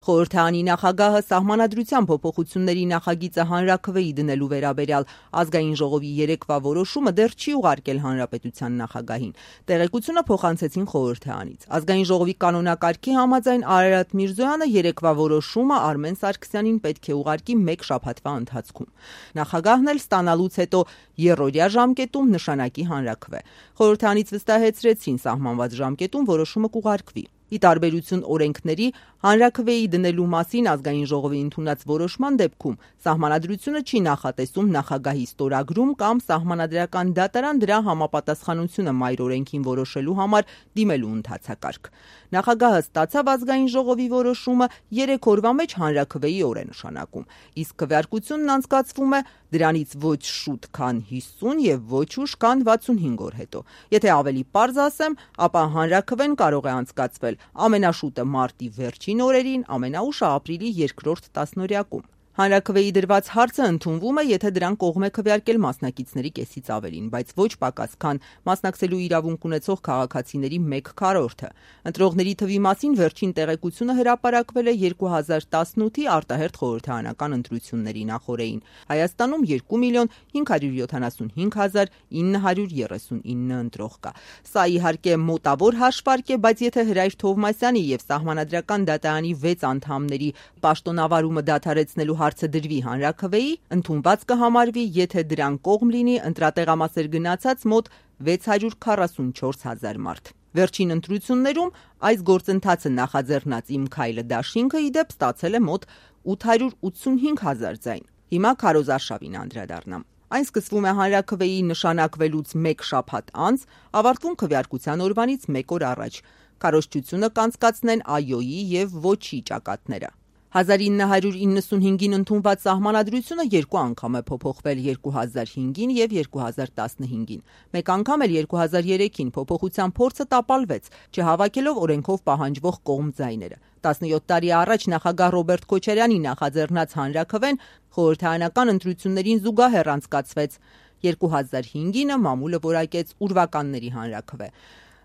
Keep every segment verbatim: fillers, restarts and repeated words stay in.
Խորհրդարանի նախագահը սահմանադրության փոփոխությունների նախագիծը հանրաքվեի դնելու վերաբերյալ ազգային ժողովի երեկվա որոշումը դեռ չի ուղարկել հանրապետության նախագահին։ Տեղեկությունը փոխանցեցին խորհրդարանից։ Ազգային ժողովի կանոնակարգի համաձայն Արարատ Միրզոյանը երեկվա որոշումը Արմեն Սարգսյանին պետք է ուղարկի մեկ շաբաթվա ընթացքում։ Նախագահն էլ ստանալուց հետո եռօրյա ժամկետում նշանակի հանրաքվե։ Խորհրդարանից վստահեցրեցին սահմանված ժամկետում որոշումը կուղարկվի։ Ի տարբերություն օրենքների, հանրաքվեի դնելու մասին ազգային ժողովի ընդունած որոշման դեպքում սահմանադրությունը չի նախատեսում նախագահի ստորագրում կամ սահմանադրական դատարան դրա համապատասխանությունը մայր օրենքին որոշելու համար դիմելու ընթացակարգ։ Նախագահը ստացավ ազգային ժողովի որոշումը երեք օրվա մեջ հանրաքվեի օր է նշանակում, իսկ քվեարկությունն անցկացվում է դրանից ոչ շուտ, քան հիսուն եւ ոչ ուշ, քան վաթսունհինգ օր հետո։ Եթե ավելի պարզ ասեմ, ապա հանրաքվեն կարող է անցկացվել ամենաշուտը մարտի վերջին օրերին, ամենաուշը ապրիլի երկրորդ տասնօրյակում։ Հանրաքվեի դրված հարցը ընդունվում է, եթե դրան կողմ է քվեարկել մասնակիցների կեսից ավելին, բայց ոչ պակաս, քան մասնակցելու իրավունք ունեցող քաղաքացիների մեկ քառորդը։ Ընտրողների թվի մասին վերջին տեղեկությունը հրապարակվել է երկու հազար տասնութի արտահերթ խորհրդարանական ընտրությունների նախօրեին։ Հայաստանում երկու միլիոն հինգ հարյուր յոթանասունհինգ հազար ինը հարյուր երեսունինը ընտրող կա։ Սա իհարկե մոտավոր հաշվարկ է, բայց եթե Հրայր Թովմասյանի եւ Սահմանադրական դատարանի վեց անդամների պաշտոնավարումը դադարեցնելու հարցը դրվի հանրաքվեի, ընդունված կհամարվի, եթե դրան կողմ լինի ընտրատեղամասեր գնացած մոտ վեց հարյուր քառասունչորս հազար մարդ։ Վերջին ընտրություններում այս գործընթացը նախաձեռնած Իմ քայլը դաշինքը ի դեպ ստացել է մոտ ութ հարյուր ութսունհինգ հազար ձայն։ Հիմա Քարոզ Արշավին անդրադառնամ։ Այն սկսվում է հանրաքվեի նշանակվելուց մեկ շաբաթ անց, ավարտվում քվեարկության օրվանից մեկ օր առաջ։ Քարոզչությունը կանցկացնեն ԱՅՈ-ի եւ ՈՉԻ ճակատները։ հազար ինը հարյուր իննսունհինգին ընդունված սահմանադրությունը երկու անգամ է փոփոխվել՝ երկու հազար հինգին եւ երկու հազար տասնհինգին։ Մեկ անգամ էլ երկու հազար երեքին փոփոխության փորձը տապալվեց, չհավաքելով օրենքով պահանջվող կողմ ձայները։ տասնյոթ տարի առաջ նախագահ Ռոբերտ Քոչարյանի նախաձեռնած հանրաքվեն խորհրդարանական ընտրություններին զուգահեռ անցկացվեց։ երկու հազար հինգինը մամուլը որակեց ուրվականների հանրաքվե։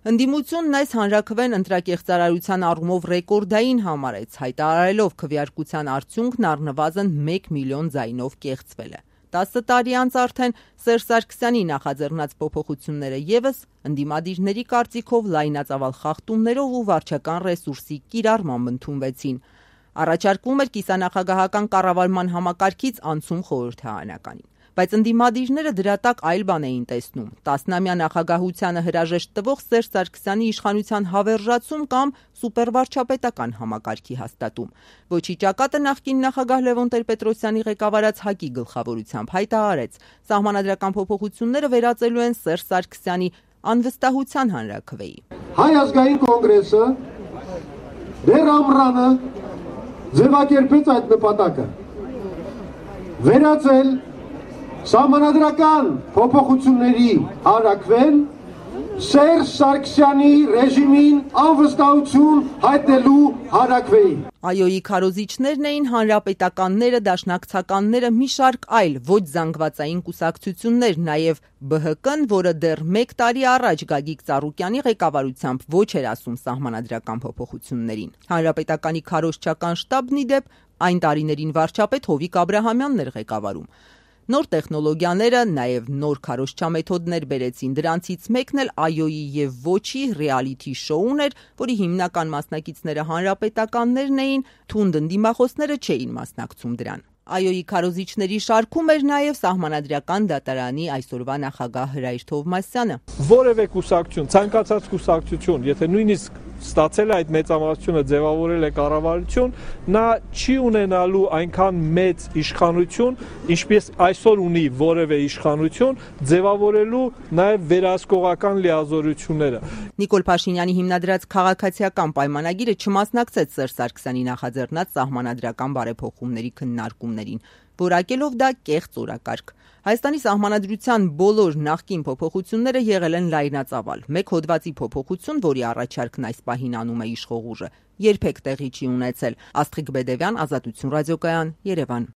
Ընդդիմությունն այս հանրաքվեն ընտրակեղծարարության առումով ռեկորդային համարեց, հայտարարելով քվեարկության արդյունքն առնվազն մեկ միլիոն ձայնով կեղծվել է։ տասը տարի անց արդեն Սերժ Սարգսյանի նախաձեռնած փոփոխությունները ևս ընդդիմադիրների կարծիքով լայնածավալ խախտումներով ու վարչական ռեսուրսի կիրառմամբ ընդունվեցին։ Առաջարկվում էր կիսանախագահական կառավարման համակարգից անցում խորհրդարանականին։ Բայց ընդդիմադիրները դրա տակ այլ բան էին տեսնում՝ տասնամյա նախագահությանը հրաժեշտ տվող Սերժ Սարգսյանի իշխանության հավերժացում կամ սուպերվարչապետական համակարգի հաստատում։ ՈՉԻ ճակատը նախկին նախագահ Լևոն Տեր-Պետրոսյանի ղեկավարած ՀԱԿ-ի գլխավորությամբ հայտարարեց՝ սահմանադրական փոփոխությունները վերածելու են Սերժ Սարգսյանի անվստահության հանրաքվեի։ Հայ ազգային կոնգրեսը դեռ ամռանը ձևակերպեց այդ նպատակը։ Վերածել Սահմանադրական փոփոխությունների հանրաքվեն Սերժ Սարգսյանի ռեժիմին անվստահություն հայտնելու հանրաքվեի։ ԱՅՈ-ի քարոզիչներն էին հանրապետականները, դաշնակցականները, մի շարք այլ ոչ զանգվածային կուսակցություններ, նաև Բ Հ Կ-ն, որը դեռ մեկ տարի առաջ Գագիկ Ծառուկյանի ղեկավարությամբ ոչ էր ասում սահմանադրական փոփոխություններին։ Հանրապետականի քարոզչական շտաբն ի դեպ այն տարիներին վարչապետ Հովիկ Աբրահամյանն էր ղեկավարում։ Նոր տեխնոլոգիաները, նաև նոր քարոզչամեթոդներ բերեցին, դրանցից մեկն էլ ԱՅՈ-ի եւ ՈՉԻ ռեալիթի շոուն էր, որի հիմնական մասնակիցները հանրապետականներն էին, թունդ ընդդիմախոսները չէին մասնակցում դրան։ ԱՅՈ-ի քարոզիչների շարքում էր նաև Սահմանադրական դատարանի այսօրվա նախագահ Հրայր Թովմասյանը։ Որևէ կուսակցություն, ցանկացած կուսակցություն, եթե նույնիսկ ստացել է այդ մեծամասնությունը, ձևավորել է կառավարություն, նա չի ունենալու այնքան մեծ իշխանություն, ինչպես այսօր ունի որևէ իշխանություն, ձևավորելու նաև վերահսկողական լիազորությունները։ Նիկոլ Փաշինյանի հիմնադրած քաղաքացիական պայմանագիրը չմասնակցեց Սերժ Սարգսյանի նախաձեռնած սահմանադրական բարեփոխումների քննարկումներին, որակելով դա կեղծ օրակարգ։ Հայաստանի սահմանադրության բոլոր նախկին փոփոխությունները եղել են լայնածավալ։ Մեկ հոդվածի փոփոխություն, որի առաջարկն այս պահին անում է իշխող ուժը, երբեք տեղի չի ունեցել։ Աստղիկ Բեդևյան, Ազատություն ռադիոկայան, Երևան։